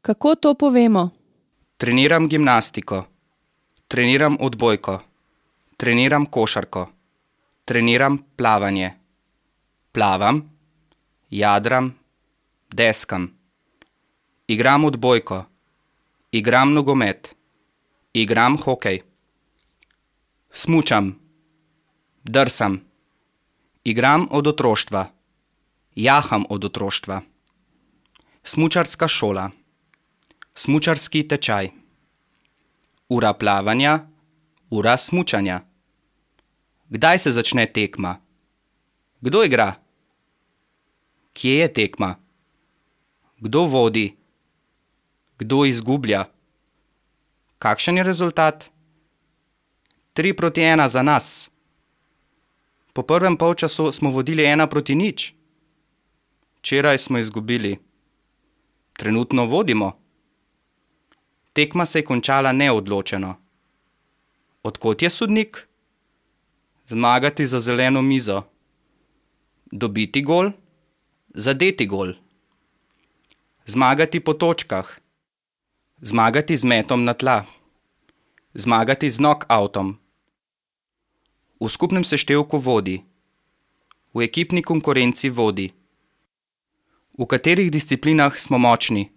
Kako to povemo? Treniram gimnastiko. Treniram odbojko. Treniram košarko. Treniram plavanje. Plavam, jadram, deskam. Igram odbojko. Igram nogomet. Igram hokej. Smučam. Drsam. Igram od otroštva. Jaham od otroštva. Smučarska šola. Smučarski tečaj. Ura plavanja, ura smučanja. Kdaj se začne tekma? Kdo igra? Kje je tekma? Kdo vodi? Kdo izgublja? Kakšen je rezultat? 3-1 za nas. Po prvem polčasu smo vodili 1-0. Včeraj smo izgubili. Trenutno vodimo. Tekma se je končala neodločeno. Od kod je sodnik? Zmagati za zeleno mizo. Dobiti gol? Zadeti gol. Zmagati po točkah. Zmagati z metom na tla. Zmagati z knockoutom. V skupnem seštevku vodi. V ekipni konkurenci vodi. V katerih disciplinah smo močni?